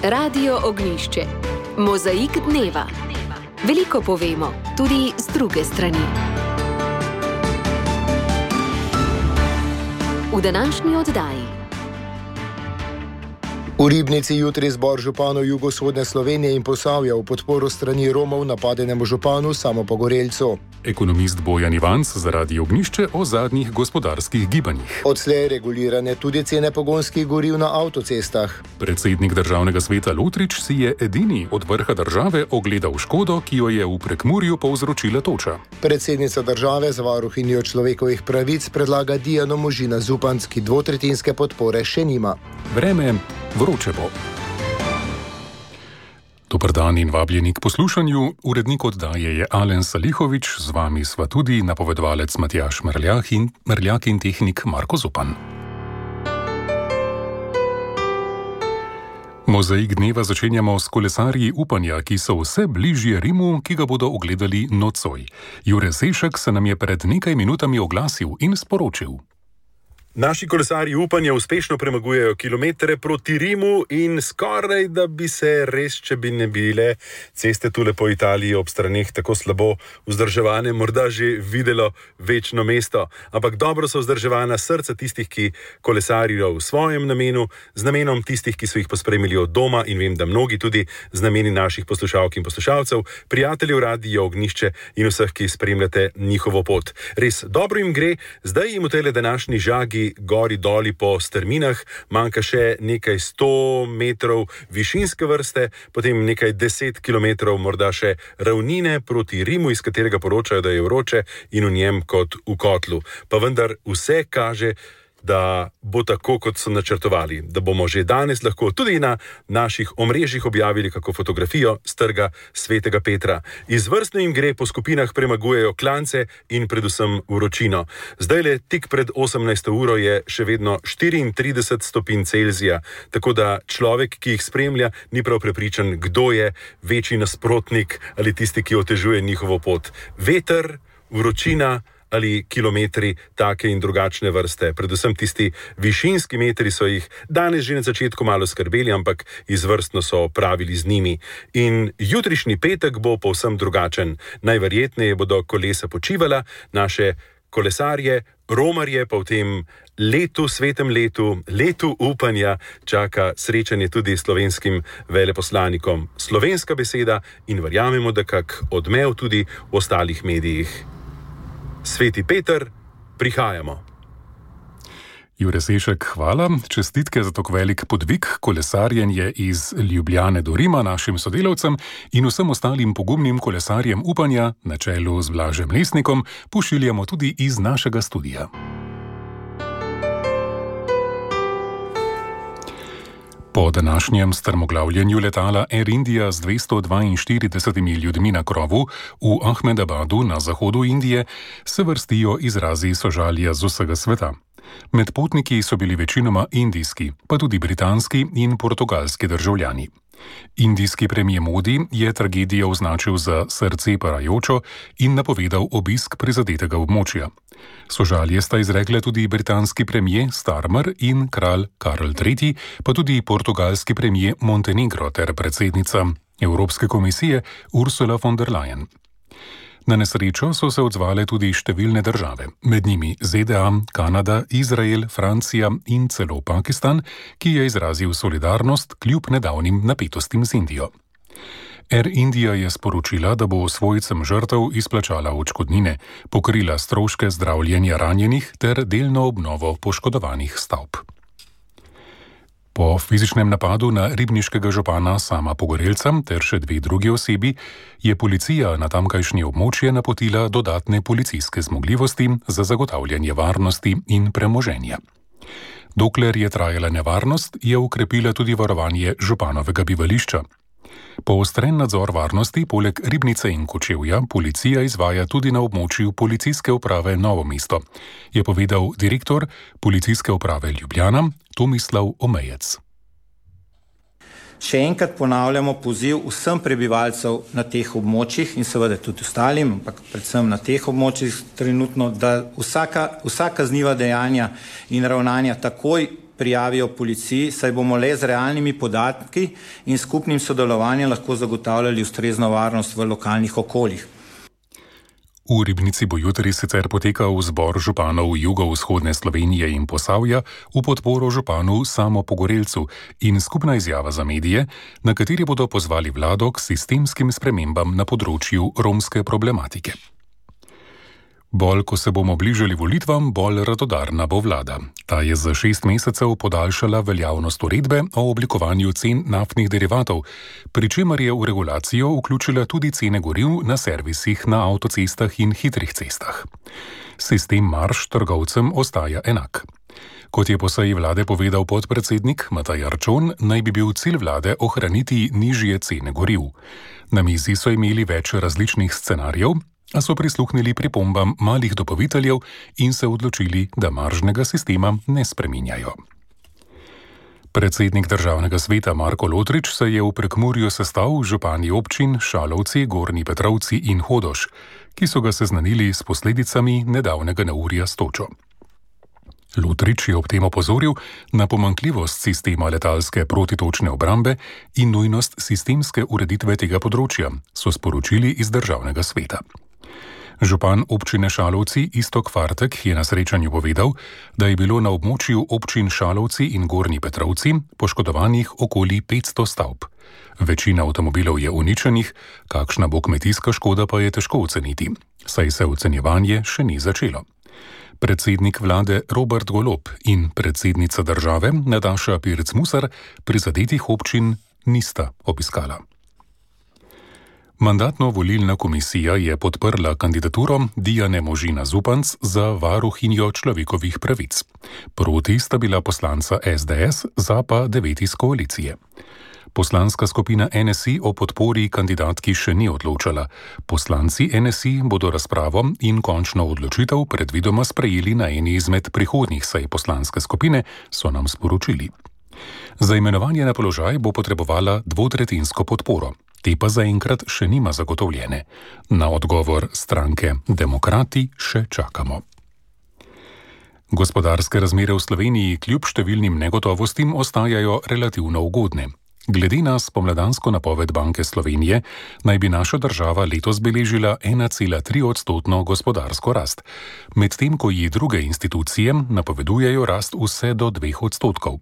Radio Ognjišče. Mozaik dneva. Veliko povemo, tudi z druge strani. V današnji oddaji. V Ribnici jutri zbor županov jugovzhodne Slovenije in Posavja v podporo strani Romov napadenemu županu Samopogorelcu. Ekonomist Bojan Ivanc zaradi Ognjišče o zadnjih gospodarskih gibanjih. Odslej regulirane tudi cene pogonskih goriv na avtocestah. Predsednik državnega sveta Lutrič si je edini od vrha države ogledal škodo, ki jo je v Prekmurju povzročila toča. Predsednica države z varuhinjo človekovih pravic predlaga Dijano Možina Zupanc, ki dvotretjinske podpore še nima. Vreme vroče bo. Dober dan in vabljeni k poslušanju. Urednik oddaje je Alen Salihovič, z vami sva tudi napovedovalec Matjaž Merljak in tehnik Marko Zupan. Mozaik dneva začenjamo s kolesarji upanja, ki so vse bližje Rimu, ki ga bodo ogledali nocoj. Jure Sešek se nam je pred nekaj minutami oglasil in sporočil. Naši kolesarji upanja uspešno premagujejo kilometre proti Rimu in skoraj, da bi se res, če bi ne bile ceste tule po Italiji ob straneh tako slabo vzdrževane, morda že videlo večno mesto. Ampak dobro so vzdrževana srca tistih, ki kolesarijo v svojem namenu, z namenom tistih, ki so jih pospremili od doma in vem, da mnogi tudi z nameni naših poslušalk in poslušalcev, prijateljev Radia Ognjišče in vseh, ki spremljate njihovo pot. Res dobro jim gre, zdaj jim v tejle današnji žagi gori doli po strminah, manjka še nekaj 100 metrov višinske vrste, potem nekaj 10 kilometrov morda še ravnine proti Rimu, iz katerega poročajo, da je vroče in v njem kot v kotlu. Pa vendar vse kaže, da bo tako, kot so načrtovali, da bomo že danes lahko tudi na naših omrežjih objavili kako fotografijo s trga Svetega Petra. Izvrstno jim gre, po skupinah premagujejo klance in predvsem vročino. Zdajle, tik pred 18. uro je še vedno 34 stopinj Celzija, tako da človek, ki jih spremlja, ni prav prepričan, kdo je večji nasprotnik ali tisti, ki otežuje njihovo pot. Veter, vročina ali kilometri take in drugačne vrste. Predvsem tisti višinski metri so jih danes že na začetku malo skrbeli, ampak izvrstno so pravili z njimi. In jutrišnji petek bo povsem drugačen. Najverjetneje bodo kolesa počivala, naše kolesarje, romarje pa v tem letu, svetem letu, letu upanja čaka srečanje tudi s slovenskim veleposlanikom. Slovenska beseda in verjamemo, da kak odmev tudi v ostalih medijih. Sveti Peter, prihajamo. Jure Sešek, hvala. Čestitke za tako velik podvig, kolesarjenje iz Ljubljane do Rima našim sodelavcem in vsem ostalim pogumnim kolesarjem upanja, na čelu z Blažem Lesnikom, pošiljamo tudi iz našega studia. Po današnjem strmoglavljenju letala Air India z 242 ljudmi na krovu v Ahmedabadu na zahodu Indije se vrstijo izrazi sožalja z vsega sveta. Med potniki so bili večinoma indijski, pa tudi britanski in portugalski državljani. Indijski premijer Modi je tragedijo označil za srce parajočo in napovedal obisk prizadetega območja. Sožalje sta izrekle tudi britanski premijer Starmer in kralj Karl III, pa tudi portugalski premijer Montenegro ter predsednica Evropske komisije Ursula von der Leyen. Na nesrečo so se odzvale tudi številne države, med njimi ZDA, Kanada, Izrael, Francija in celo Pakistan, ki je izrazil solidarnost kljub nedavnim napetostim z Indijo. Air India je sporočila, da bo svojcem žrtev izplačala odškodnine, pokrila stroške zdravljenja ranjenih ter delno obnovo poškodovanih stavb. Po fizičnem napadu na ribniškega župana Sama Pogorelca ter še 2 drugi osebi je policija na tamkajšnje območje napotila dodatne policijske zmogljivosti za zagotavljanje varnosti in premoženja. Dokler je trajala nevarnost, je ukrepila tudi varovanje županovega bivališča. Poostren nadzor varnosti poleg Ribnice in Kočevja policija izvaja tudi na območju policijske uprave Novo mesto, je povedal direktor policijske uprave Ljubljana Tomislav Omejec. Še enkrat ponavljamo poziv vsem prebivalcev na teh območjih in seveda tudi ostalim, ampak predvsem na teh območjih trenutno, da vsa kazniva dejanja in ravnanja takoj prijavijo policiji, saj bomo le z realnimi podatki in skupnim sodelovanjem lahko zagotavljali ustrezno varnost v lokalnih okoljih. V Ribnici bo jutri sicer potekal zbor županov jugovzhodne Slovenije in Posavja v podporo županu Samo Pogorelcu in skupna izjava za medije, na kateri bodo pozvali vlado k sistemskim spremembam na področju romske problematike. Bolj, ko se bomo bližali volitvam, bolj radodarna bo vlada. Ta je za 6 mesecev podaljšala veljavnost uredbe o oblikovanju cen naftnih derivatov, pri čemer je v regulacijo vključila tudi cene goriv na servisih na avtocestah in hitrih cestah. Sistem marž trgovcem ostaja enak. Kot je po seji vlade povedal podpredsednik Matej Arčon, naj bi bil cilj vlade ohraniti nižje cene goriv. Na mizi so imeli več različnih scenarijev, a so prisluhnili pripombam malih dobaviteljev in se odločili, da maržnega sistema ne spreminjajo. Predsednik državnega sveta Marko Lotrič se je v Prekmurju sestal z župani občin Šalovci, Gornji Petrovci in Hodoš, ki so ga seznanili s posledicami nedavnega neurja s točo. Lotrič je ob tem opozoril na pomanjkljivost sistema letalske protitočne obrambe in nujnost sistemske ureditve tega področja, so sporočili iz državnega sveta. Župan občine Šalovci Iztok Fartek je na srečanju povedal, da je bilo na območju občin Šalovci in Gornji Petrovci poškodovanih okoli 500 stavb. Večina avtomobilov je uničenih, kakšna bo kmetijska škoda pa je težko oceniti, saj se ocenjevanje še ni začelo. Predsednik vlade Robert Golob in predsednica države Nataša Pirc-Musar prizadetih občin nista obiskala. Mandatno-volilna komisija je podprla kandidaturo Dijane Možina Zupanc za varuhinjo človekovih pravic. Proti sta bila poslanca SDS, za pa 9 iz koalicije. Poslanska skupina NSI o podpori kandidatki še ni odločala. Poslanci NSI bodo razpravo in končno odločitev predvidoma sprejeli na eni izmed prihodnjih sej poslanske skupine, so nam sporočili. Za imenovanje na položaj bo potrebovala 2/3 podporo. Te pa zaenkrat še nima zagotovljene. Na odgovor stranke Demokrati še čakamo. Gospodarske razmere v Sloveniji kljub številnim negotovostim ostajajo relativno ugodne. Glede na spomladansko napoved Banke Slovenije naj bi naša država letos beležila 1,3% gospodarsko rast, medtem ko ji druge institucije napovedujejo rast vse do 2%.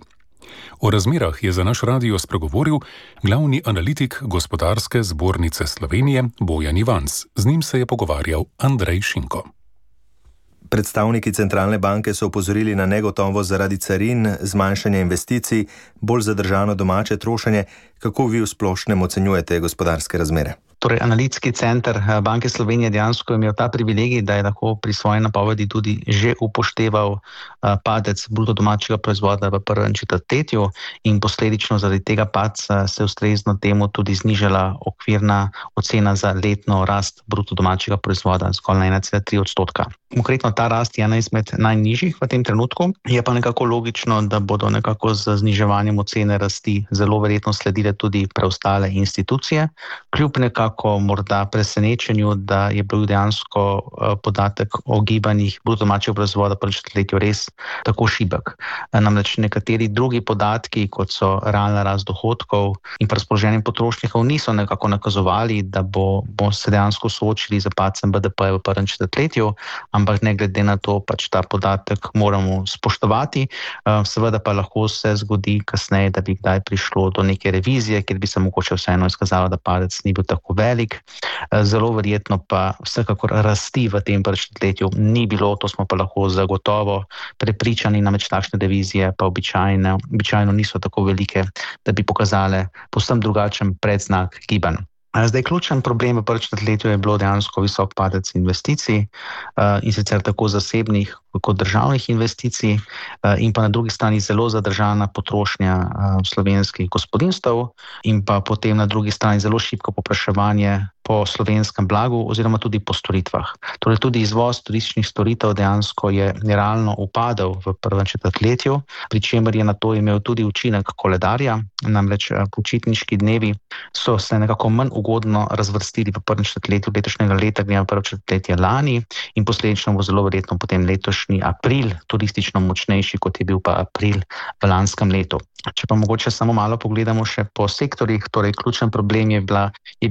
O razmerah je za naš radio spregovoril glavni analitik Gospodarske zbornice Slovenije Bojan Ivanc. Z njim se je pogovarjal Andrej Šinko. Predstavniki centralne banke so opozorili na negotovost zaradi carin, zmanjšanja investicij, bolj zadržano domače trošenje. Kako vi v splošnem ocenjujete gospodarske razmere? Torej, analitski center Banke Slovenije dejansko je imel ta privilegij, da je lahko pri svoji napovedi tudi že upošteval padec bruto domačega proizvoda v prvem četrtletju in posledično zaradi tega padca se ustrezno temu tudi znižala okvirna ocena za letno rast bruto domačega proizvoda zgolj na 1,3%. Konkretno ta rast je ena izmed najnižjih v tem trenutku, je pa nekako logično, da bodo nekako z zniževanjem ocene rasti zelo verjetno sledile tudi preostale institucije, kljub nekako morda presenečenju, da je bil dejansko podatek o gibanjih bruto domačega proizvoda prvem četrtletju res tako šibek. Namreč nekateri drugi podatki, kot so realna rast dohodkov in razpoloženje potrošnikov, niso nekako nakazovali, da bo se dejansko soočili z padcem BDP v prvem četrtletju, ampak ne glede na to, pač ta podatek moramo spoštovati. Seveda pa lahko se zgodi kasneje, da bi kdaj prišlo do neke revizije, kjer bi se mogoče vseeno izkazalo, da padec ni bil tako velik. Zelo verjetno pa vsekakor rasti v tem prvem četrtletju ni bilo, to smo pa lahko zagotovo prepričani, namreč takšne revizije pa običajno niso tako velike, da bi pokazale povsem drugačen predznak gibanj. Zdaj, ključen problem v prvem četrtletju je bilo dejansko visok padec investicij in sicer tako zasebnih kot državnih investicij in pa na drugi strani zelo zadržana potrošnja slovenskih gospodinjstev in pa potem na drugi strani zelo šibko povpraševanje po slovenskem blagu oziroma tudi po storitvah. Torej tudi izvoz turističnih storitev dejansko je realno upadel v prvem četrtletju, pri čemer je na to imel tudi učinek koledarja, namreč počitniški dnevi so se nekako manj ugodno razvrstili v prvem četrtletju letošnjega leta, glede na prvo četrtletje lani in posledično bo zelo verjetno potem letošnji april turistično močnejši, kot je bil pa april v lanskem letu. Če pa mogoče samo malo pogledamo še po sektorjih, torej ključen problem je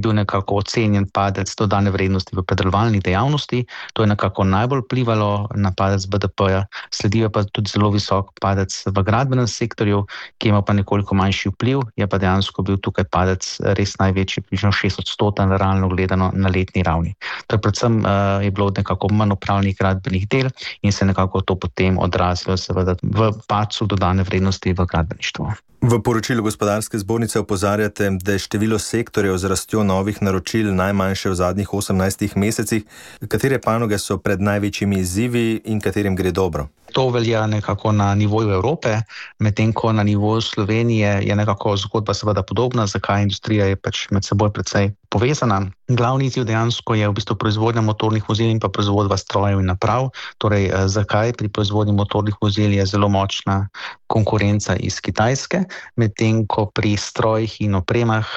bil nekako ocenjen padec dodane vrednosti v predelovalni dejavnosti, to je nekako najbolj vplivalo na padec BDP-ja, sledijo pa tudi zelo visok padec v gradbenem sektorju, ki ima pa nekoliko manjši vpliv, je pa dejansko bil tukaj padec res največji, približno 6% realno gledano na letni ravni. Torej predvsem je bilo nekako manj opravljenih gradbenih del in se nekako to potem odrazilo seveda v padcu dodane vrednosti v gradbeništvu. V poročilu Gospodarske zbornice opozarjate, da je število sektorjev z rastjo novih naročil najmanjše v zadnjih 18 mesecih. Katere panoge so pred največjimi izzivi in katerim gre dobro? To velja nekako na nivoju Evrope, medtem ko na nivoju Slovenije je nekako zgodba seveda podobna, zakaj industrija je pač med seboj precej povezana. Glavni izziv dejansko je v bistvu proizvodnja motornih vozil in pa proizvodnja strojev in naprav. Torej, zakaj pri proizvodnji motornih vozil je zelo močna konkurenca iz Kitajske, medtem ko pri strojih in opremah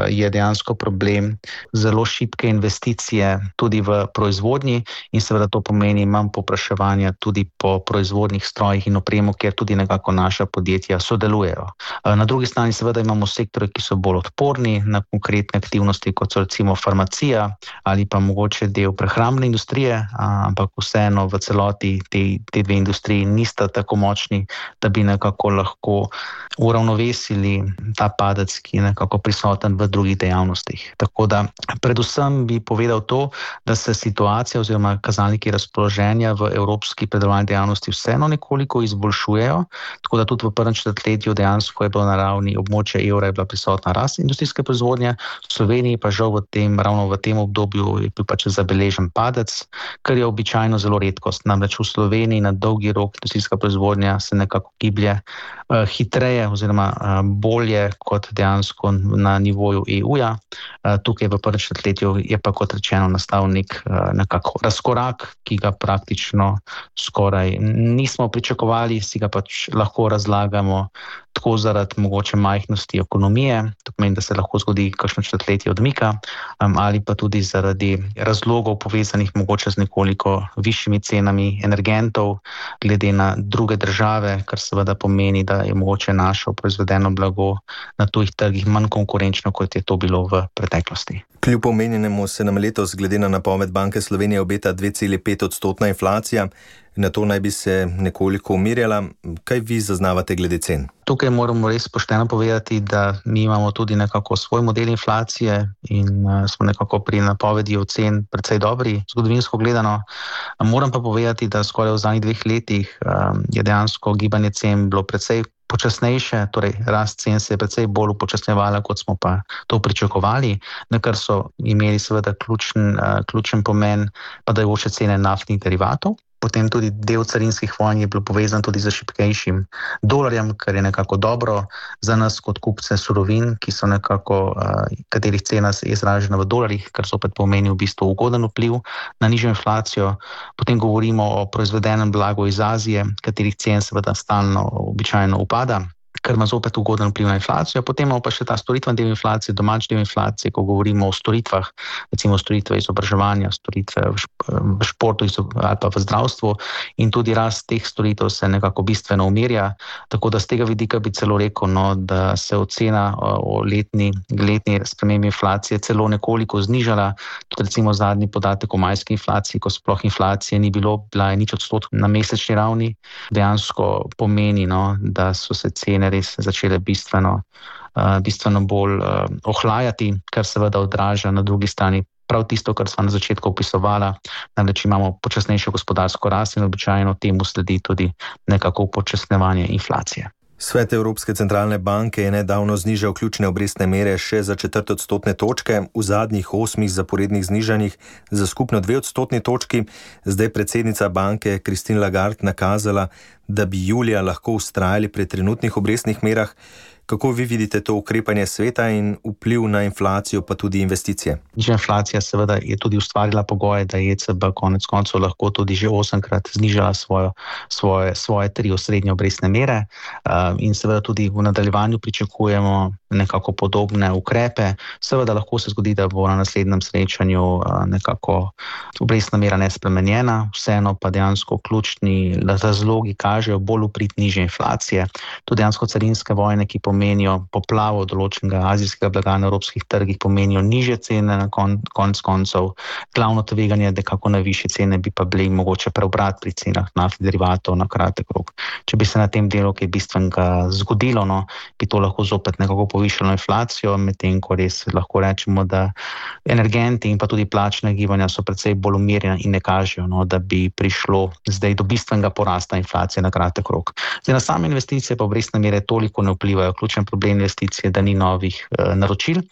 je dejansko problem zelo šibke investicije tudi v proizvodnji in seveda to pomeni manj povpraševanja tudi po proizvodnih strojih in opremo, kjer tudi nekako naša podjetja sodelujejo. Na drugi strani seveda imamo sektore, ki so bolj odporni na konkretne aktivnosti, kot so recimo farmacija ali pa mogoče del prehrambne industrije, ampak vseeno v celoti te dve industriji nista tako močni, da bi nekako lahko uravnovesili ta padec, ki je nekako prisoten v drugih dejavnostih. Tako da predvsem bi povedal to, da se situacija oziroma kazalniki razpoloženja v evropski predelovalni dejavnosti vseeno nekoliko izboljšujejo, tako da tudi v prvem četrtletju dejansko je bilo na ravni območja evra je bila prisotna rast industrijske proizvodnje, v Sloveniji pa žal ravno v tem obdobju je bil pač zabeležen padec, kar je običajno zelo redkost. Namreč v Sloveniji na dolgi rok industrijska proizvodnja se nekako giblje hitreje oziroma bolje kot dejansko na nivoju EU-ja. Tukaj v prvem četrtletju je pa kot rečeno nastal nekako razkorak, ki ga praktično skoraj nismo pričakovali, si ga pač lahko razlagamo tako zaradi mogoče majhnosti ekonomije, to pomeni, da se lahko zgodi kakšno četrtletje odmika, ali pa tudi zaradi razlogov povezanih mogoče z nekoliko višjimi cenami energentov glede na druge države, kar seveda pomeni, da je mogoče naše proizvedeno blago na tujih trgih manj konkurenčno, kot je to bilo v preteklosti. Kljub omenjenemu se nam letos glede na napoved Banke Slovenije obeta 2,5% inflacija. Na to naj bi se nekoliko umirjala. Kaj vi zaznavate glede cen? Tukaj moramo res pošteno povedati, da mi imamo tudi nekako svoj model inflacije in smo nekako pri napovedi ocen precej dobri, zgodovinsko gledano. Moram pa povedati, da skoraj v zadnjih 2 letih je dejansko gibanje cen bilo precej počasnejše, torej rast cen se je precej bolj upočasnjevala, kot smo pa to pričakovali, na kar so imeli seveda ključen pomen padajoče cene naftnih derivatov. Potem tudi del carinskih vojn je bil povezan tudi z šibkejšim dolarjem, kar je nekako dobro za nas kot kupce surovin, ki so nekako, katerih cena je izražena v dolarjih, kar zopet pomeni v bistvu ugoden vpliv na nižjo inflacijo. Potem govorimo o proizvedenem blagu iz Azije, katerih cen seveda stalno običajno upada, kar ima zopet ugoden vpliv na inflacijo. Potem imamo pa še ta storitven del inflacije, domač del inflacije, ko govorimo o storitvah, recimo storitve izobraževanja, storitve v športu ali pa v zdravstvu in tudi rast teh storitev se nekako bistveno umirja. Tako da z tega vidika bi celo rekel, da se ocena o letni spremembi inflacije celo nekoliko znižala. Tudi recimo zadnji podatek o majski inflaciji, ko sploh inflacije ni bilo, bila je 0% na mesečni ravni, dejansko pomeni, da so se cene res začele bistveno bolj ohlajati, kar seveda odraža na drugi strani prav tisto, kar sva na začetku opisovala, namreč imamo počasnejšo gospodarsko rast in običajno temu sledi tudi nekako upočasnjevanje inflacije. Svet Evropske centralne banke je nedavno znižal ključne obrestne mere še za 4 odstotne točke, v zadnjih 8 zaporednih znižanjih za skupno 2 odstotni točki. Zdaj predsednica banke Christine Lagarde nakazala, da bi julija lahko vztrajali pri trenutnih obrestnih merah. Kako vi vidite to ukrepanje sveta in vpliv na inflacijo, pa tudi investicije? Nižja inflacija seveda je tudi ustvarila pogoje, da je ECB konec koncev lahko tudi že 8-krat znižala svoje 3 osrednje obrestne mere in seveda tudi v nadaljevanju pričakujemo nekako podobne ukrepe. Seveda lahko se zgodi, da bo na naslednjem srečanju nekako obrestna mera nespremenjena, vseeno pa dejansko ključni razlogi kažejo bolj v prid nižje inflacije. To dejansko carinske vojne, ki pomenijo poplavo določenega azijskega blaga na evropskih trgih, pomenijo nižje cene na konec koncev. Glavno tveganje, da kako na višje cene bi pa bili mogoče preobrat pri cenah naftnih derivatov na kratek rok. Če bi se na tem delu kaj bistvenega zgodilo, bi to lahko zopet nekako povišalo inflacijo, medtem ko res lahko rečemo, da energenti in pa tudi plačne gibanja so precej bolj umirjena in ne kažejo, da bi prišlo zdaj do bistvenega porasta inflacije na kratek rok. Zdaj, na same investicije pa obrestne mere toliko ne vplivajo. Ključen problem investicije, da ni novih naročil.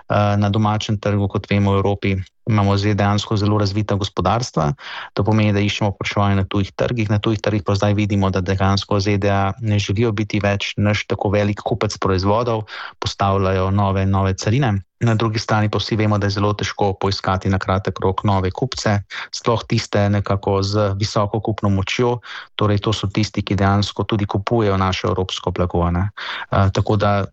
Na domačem trgu, kot vemo, v Evropi imamo zdaj dejansko zelo razvita gospodarstva. To pomeni, da iščemo povpraševanje na tujih trgih. Na tujih trgih pa zdaj vidimo, da dejansko ZDA ne želijo biti več naš tako velik kupec proizvodov, postavljajo nove carine. Na drugi strani pa vsi vemo, da je zelo težko poiskati na kratek rok nove kupce, sploh tiste nekako z visoko kupno močjo, torej to so tisti, ki dejansko tudi kupujejo naše evropsko blago. Tako da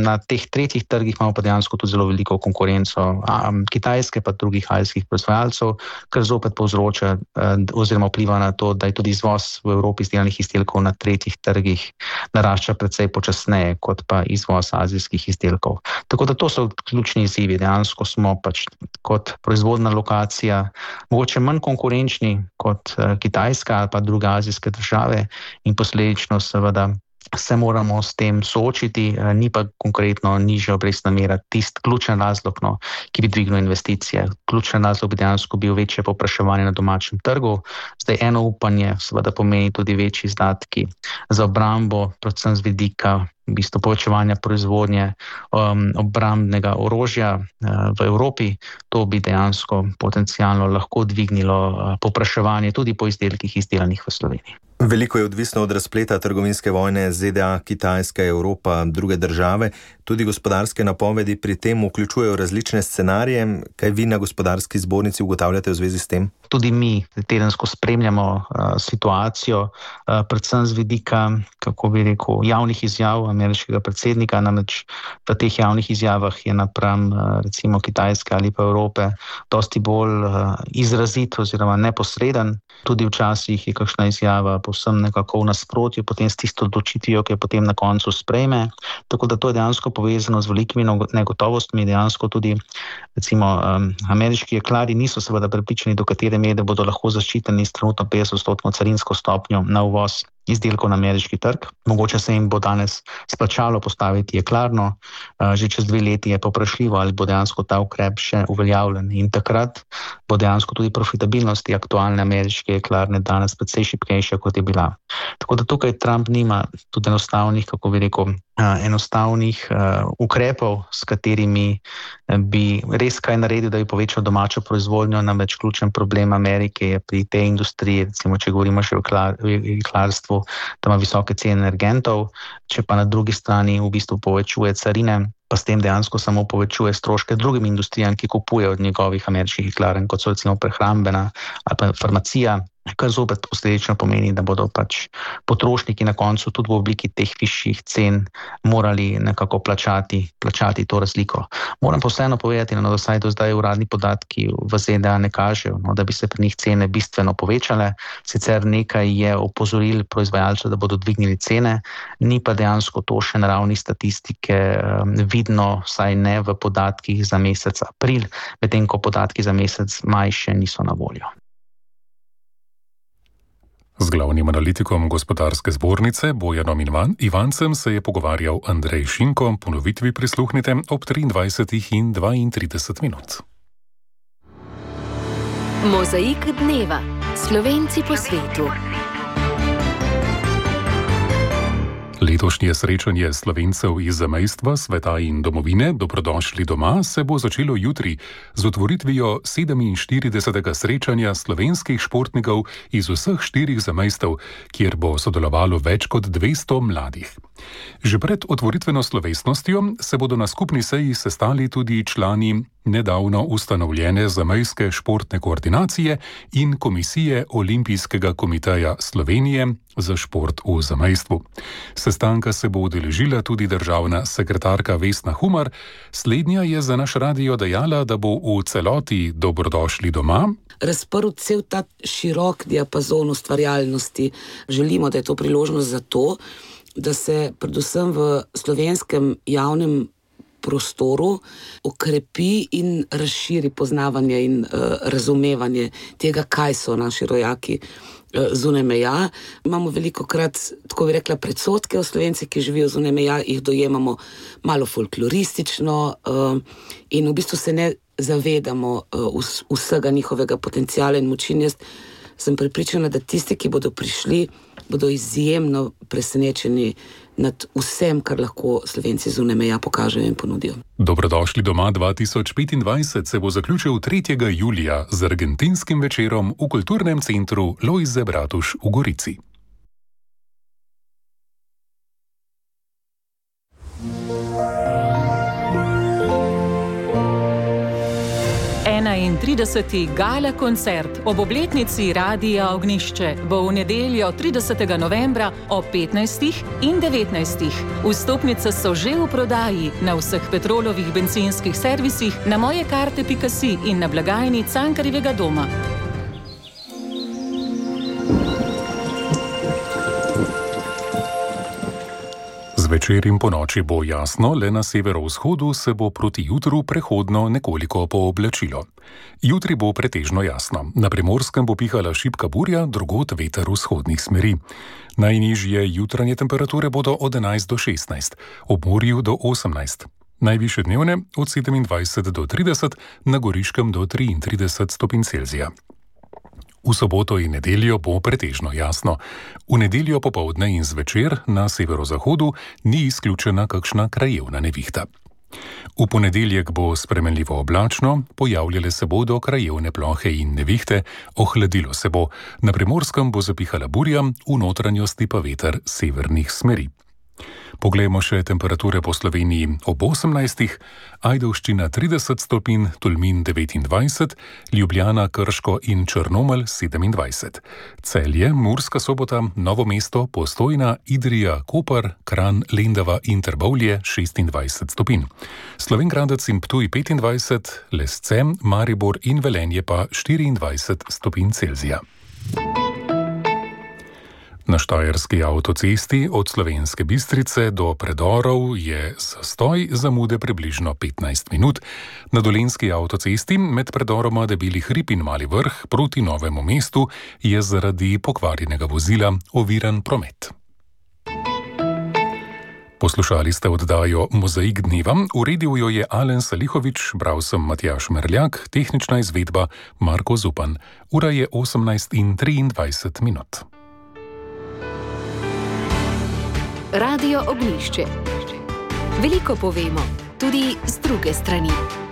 na teh tretjih trgih imamo pa dejansko tudi zelo veliko konkurenco Kitajske pa drugih azijskih proizvajalcev, kar zopet povzroča oziroma vpliva na to, da je tudi izvoz v Evropi izdelanih izdelkov na tretjih trgih narašča precej počasneje kot pa izvoz azijskih izdelkov. Tako da to so ključni izzivi. Dejansko smo pač kot proizvodna lokacija mogoče manj konkurenčni kot Kitajska ali pa druge azijske države in posledično seveda se moramo s tem soočiti, ni pa konkretno nižja obrestna mera tisti ključen razlog, ki bi dvignil investicije. Ključen razlog bi dejansko bil večje povpraševanje na domačem trgu. Zdaj eno upanje seveda pomeni tudi večji izdatki za obrambo, predvsem z vidika v bistvu povečevanja proizvodnje obrambnega orožja v Evropi. To bi dejansko potencialno lahko dvignilo povpraševanje tudi po izdelkih izdelanih v Sloveniji. Veliko je odvisno od razpleta trgovinske vojne ZDA, Kitajska, Evropa, druge države. Tudi gospodarske napovedi pri tem vključujejo različne scenarije. Kaj vi na gospodarski zbornici ugotavljate v zvezi s tem? Tudi mi tedensko spremljamo situacijo, predvsem z vidika, kako bi rekel, javnih izjav ameriškega predsednika. Namreč v teh javnih izjavah je napram recimo Kitajske ali pa Evrope dosti bolj izrazit oziroma neposreden. Tudi včasih je kakšna izjava povsem nekako v nasprotju potem s tisto odločitvijo, ki jo potem na koncu sprejme. Tako da to je dejansko povezano z velikimi negotovostmi. Dejansko tudi recimo ameriški jeklarji niso seveda prepričani, do katere mere bodo lahko zaščiteni s trenutno 50% carinsko stopnjo na uvoz izdelkov na ameriški trg. Mogoče se jim bo danes splačalo postaviti jeklarno, že čez 2 leti je povprašljivo, ali bo dejansko ta ukrep še uveljavljen in takrat bo dejansko tudi profitabilnost aktualne ameriške jeklarne danes precej šibkejša, kot je bila. Tako da tukaj Trump nima tudi enostavnih ukrepov, s katerimi bi res kaj naredil, da bi povečal domačo proizvodnjo. Namreč ključen problem Amerike je pri tej industriji, recimo če govorimo še o jeklarstvu, da ima visoke cene energentov, če pa na drugi strani v bistvu povečuje carine, pa s tem dejansko samo povečuje stroške drugim industrijam, ki kupujejo od njegovih ameriških jeklarn, kot so recimo prehrambena ali pa farmacija, kar zopet posledično pomeni, da bodo pač potrošniki na koncu tudi v obliki teh višjih cen morali nekako plačati to razliko. Moram pa vseeno povedati, da vsaj do zdaj uradni podatki v ZDA ne kažejo, da bi se pri njih cene bistveno povečale. Sicer nekaj je opozoril proizvajalcev, da bodo dvignili cene, ni pa dejansko to še na ravni statistike vidno, saj ne v podatkih za mesec april, medtem ko podatki za mesec maj še niso na voljo. Z glavnim analitikom gospodarske zbornice Bojanom Ivancem se je pogovarjal Andrej Šinko. Ponovitvi prisluhnite ob 23:32. Mozaik dneva. Slovenci po svetu. Letošnje srečanje Slovencev iz zamejstva, sveta in domovine Dobrodošli doma se bo začelo jutri z otvoritvijo 47. srečanja slovenskih športnikov iz vseh 4 zamejstev, kjer bo sodelovalo več kot 200 mladih. Že pred otvoritveno slovesnostjo se bodo na skupni seji sestali tudi člani nedavno ustanovljene zamejske športne koordinacije in Komisije Olimpijskega komiteja Slovenije za šport v zamejstvu. Sestanka se bo udeležila tudi državna sekretarka Vesna Humar. Slednja je za naš radio dejala, da bo v celoti Dobrodošli doma razprl cel ta širok diapazon ustvarjalnosti. Želimo, da je to priložnost za to, da se predvsem v slovenskem javnem prostoru okrepi in razširi poznavanje in razumevanje tega, kaj so naši rojaki zunaj meja. Imamo velikokrat, tako bi rekla, predsodke o Slovencih, ki živijo zunaj meja, jih dojemamo malo folkloristično in v bistvu se ne zavedamo vsega njihovega potenciala in moči. Jaz sem prepričana, da tisti, ki bodo prišli, bodo izjemno presenečeni nad vsem, kar lahko Slovenci zunaj meja pokažejo in ponudijo. Dobrodošli doma 2025 se bo zaključil 3. julija z argentinskim večerom v kulturnem centru Lojze Bratuš v Gorici. In 30. gala koncert ob obletnici Radia Ognjišče bo v nedeljo 30. novembra ob 15. in 19. Vstopnice so že v prodaji na vseh Petrolovih bencinskih servisih, na mojekarte.si in na blagajni Cankarjevega doma. Zvečer in ponoči bo jasno, le na severovzhodu se bo proti jutru prehodno nekoliko pooblačilo. Jutri bo pretežno jasno. Na Primorskem bo pihala šibka burja, drugod veter vzhodnih smeri. Najnižje jutranje temperature bodo od 11 do 16, ob morju do 18. Najvišje dnevne od 27 do 30, na Goriškem do 33 stopinj Celzija. V soboto in nedeljo bo pretežno jasno. V nedeljo popoldne in zvečer na severozahodu ni izključena kakšna krajevna nevihta. V ponedeljek bo spremenljivo oblačno, pojavljale se bodo krajevne plohe in nevihte, ohladilo se bo. Na Primorskem bo zapihala burja, v notranjosti pa veter severnih smeri. Poglejmo še temperature po Sloveniji ob 18, Ajdovščina 30 stopinj, Tolmin 29, Ljubljana, Krško in Črnomelj 27, Celje, Murska Sobota, Novo mesto, Postojna, Idrija, Koper, Kranj, Lendava in Trbovlje 26 stopinj, Slovenj Gradec in Ptuj 25, Lesce, Maribor in Velenje pa 24 stopinj Celzija. Na Štajerski avtocesti od Slovenske Bistrice do predorov je zastoj zamude približno 15 minut. Na Dolenjski avtocesti med predoroma Debeli hrib in Mali vrh proti Novemu mestu je zaradi pokvarjenega vozila oviran promet. Poslušali ste oddajo Mozaik dneva, uredil jo je Alen Salihovič, bral sem Matjaž Merljak, tehnična izvedba Marko Zupan. Ura je 18:23 minut. Radio Ognjišče. Veliko povemo, tudi z druge strani.